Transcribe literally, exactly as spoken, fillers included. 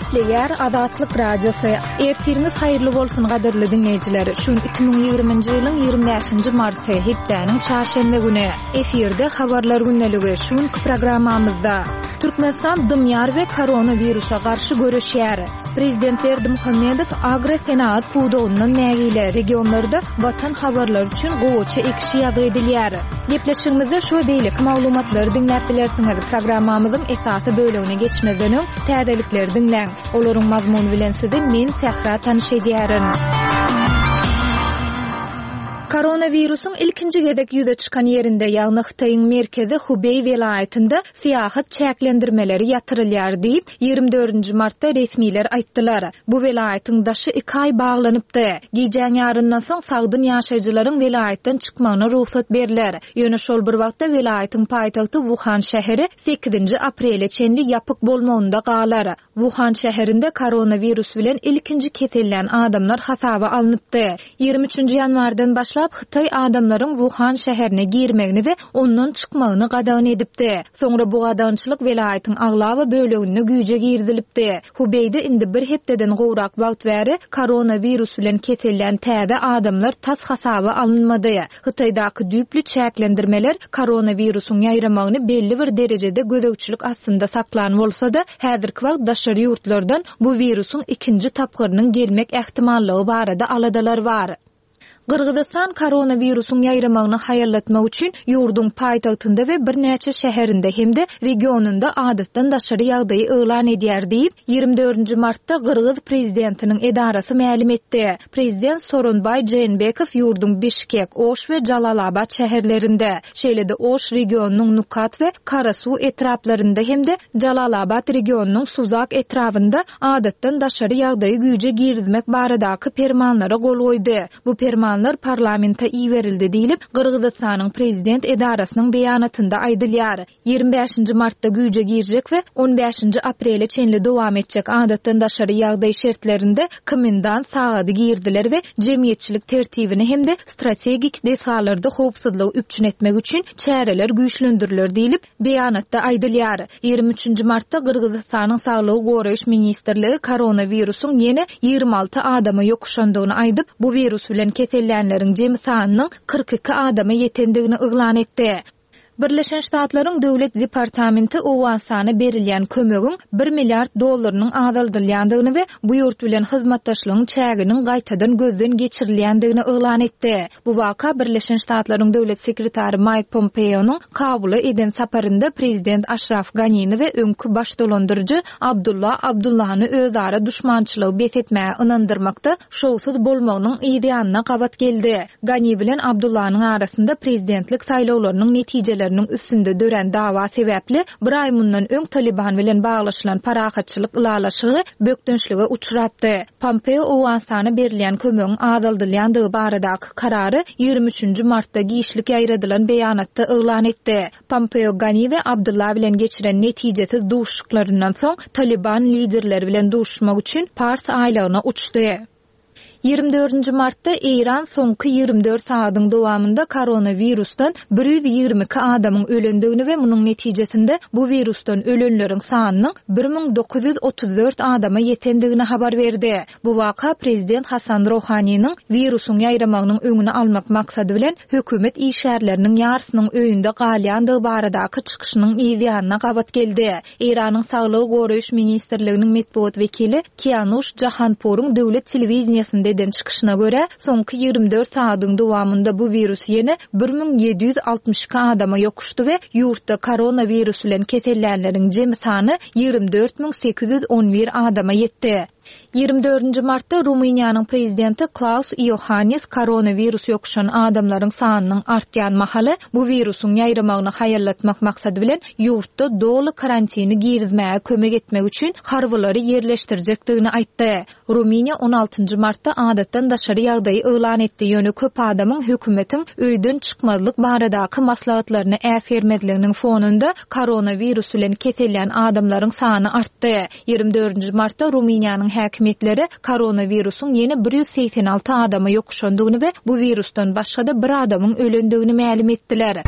Gepleýär Azatlyk Radiosy. Ertiriňiz haýyrly bolsun gadyrly diňleýjiler. Şu gün iki müň ýigriminji ýylyň ýigrimi bäşinji marty, hepdäniň çarşenbe güni. Efirde Habarlar gündeligi. Şu günki programmamyzda Türkmenistan dymýar we koronawirusa garşy göreşýär. Prezident Berdimuhamedow agrosenagat pudagyndan nägile, regionlarda Watan habarlary üçin gowaça ekişi ýazgy edilýär. Gepleşigimizde şu we beýleki maglumatlary diňläp bilersiňiz. Programmamyzyň esasy bölegine geçmezden öň täzelikleri diňläň. Olaryň mazmuny bilen sizi men Sähra tanyş edýärin. Koronawirusyň ilkinji gezek ýüze çykan ýerinde, ýagny Hytaýyň merkezi Hubeý welaýatynda syýahat çäklendirmeleri ýatyrylýar diýip, ýigrimi dördünji martda resmiler aýtdylar. Bu welaýatyň daşy iki aý baglanypdy. Gijäň ýaryndan soň sagdyn ýaşaýjylaryň welaýatdan çykmagyna rugsat berler. Ýöne şol bir wagtda welaýatyň paýtagty Wuhan şäheri sekizinji aprele çenli ýapyk bolmagynda galar. Wuhan şäherinde koronawirus bilen ilkinji kesellän adamlar hasaba alnypdy. Ýigrimi üçünji ýanwardan başlap Hytaý adamlaryň Wuhan şäherine girmegini we ondan çykmagyny gadagan edipdi. Soňra bu gadagançylyk welaýatyň aglaba böleginde güýje girizilipdi. Hubeýde indi bir hepdeden gowrak wagt bäri koronawirus bilen kesellän täze adamlar tas hasaba alynmady. Hytaýdaky düýpli çäklendirmeler koronawirusyň ýaýramagyny belli bir derejede gözegçilik astynda saklan bolsa-da, häzirki wagt daşary ýurtlardan bu wirusyň ikinji tapgyrynyň gelmek ähtimallygy barada aladalar bar. Gyrgyzystan koronawirusyň ýaýramagyny haýallatmak üçin ýurduň paýtagtynda we birnäçe şäherinde hem-de regionynda adatdan daşary ýagdaýy yglan edýär diýip, ýigrimi dördünji martda gyrgyz prezidentiniň edarasy mälim etdi. Prezident Soronbaý Jeenbekow ýurduň Bişkek, Oş we Jalalabat şäherlerinde, şeýle-de Oş regionynyň Nukat we Karasuw etraplarynda hem-de Jalalabat regionynyň Suzak etrabynda adatdan daşary ýagdaýy güýje girizmek baradaky permanlara gol goýdy. Bu permanlar parlamente iberildi diýlip, Gyrgyzystanyň prezident edarasynyň beýanatynda aýdylýar. Ýigrimi bäşinji martda güýje girjek we on bäşinji aprele çenli dowam etjek adatdan daşary ýagdaý şertlerinde komendant sagady girdiler we jemgyýetçilik tertibini hem-de strategik desgalarda howpsuzlygy üpjün etmek üçin çäreler güýçlendiriler diýlip, beýanatda aýdylýar. Ýigrimi üçünji martda Gyrgyzystanyň Saglygy goraýyş ministrligi koronawirusyň ýene ýigrimi alty adama ýokuşandygyny aýdyp, bu wirus bilen kesellänleriň jemi sanynyň kyrk iki adama ýetendigini yglan etdi. Birleşen Ştatlaryň Döwlet departamenti Owganystana berilýän kömegiň bir milliard dollarynyň azaldylýandygyny we bu ýurt bilen hyzmatdaşlygyň çäginiň gaýtadan gözden geçirilýändigini yglan etdi. Bu waka Birleşen Ştatlaryň Döwlet sekretary Maýk Pompeonyň Kabula eden saparynda prezident Aşraf Ganini we öňki baş dolandyryjy Abdullah Abdullany özara duşmançylygy bes etmäge ynandyrmakda şowsuz bolmagynyň yz ýanyna gabat geldi. Gani bilen Abdullanyň arasynda prezidentlik saýlawlarynyň netijeleriniň üstünde dörän dawa sebäpli bir aý mundan öň Taliban bilen baglaşylan parahatçylyk ylalaşygy bökdençlige uçrapdy. Pompeo Owganystana berilýän kömegiň azaldylýandygy baradaky karary ýigrimi üçünji martda giçlik ýaýradylan beýanatda yglan etdi. Pompeo Gani we Abdullah bilen geçiren netijesiz duşuşyklaryndan soň Taliban liderleri bilen duşuşmak üçin Pars aýlagyna uçdy. Ýigrimi dördünji martda Eýran soňky ýigrimi dört sagadyň dowamynda koronawirusdan bir ýüz ýigrimi iki adamyň ölendigini we munuň netijesinde bu wirusdan ölenleriň sanynyň bir müň dokuz ýüz otuz dört adama ýetendigini habar berdi. Bu waka prezident Hasan Rohaniniň wirusyň ýaýramagynyň öňüni almak maksady bilen hökümet işgärleriniň ýarysynyň öýünde galýandygy baradaky çykyşynyň yz ýanyna gabat geldi. Eýranyň Saglygy goraýyş ministrliginiň metbugat wekili Kianuş Jahanpuryň döwlet telewideniýesinde eden çykyşyna görä, soňky ýigrimi dört sagadyň dowamynda bu wirus ýene bir müň ýedi ýüz altmyş iki adama ýokuşdy we ýurtda koronawirus bilen kesellänleriň jemi sany ýigrimi dört müň sekiz ýüz on bir adama ýetdi. Ýigrimi dördünji martda Rumyniýanyň prezidenti Klaus Iohannis koronawirus ýokuşan adamlaryň sanynyň artýan mahaly bu wirusyň ýaýramagyny haýallatmak maksady bilen ýurtda doly karantini girizmäge kömek etmek üçin harbylary ýerleşdirjekdigini aýtdy. Rumyniýa on altynjy martda adatdan daşary ýagdaýy yglan etdi, ýöne köp adamyň hökümetiň öýden çykmazlyk baradaky maslahatlaryny äsgermezliginiň fonunda koronawirus bilen kesellän adamlaryň sany artdy. Ýigrimi dördünji martda Rumyniýanyň häkimiýetleri koronawirusyň ýene bir ýüz segsen alty adama ýokuşandygyny we bu wirusdan başga-da bir adamyň ölendigini mälim etdiler.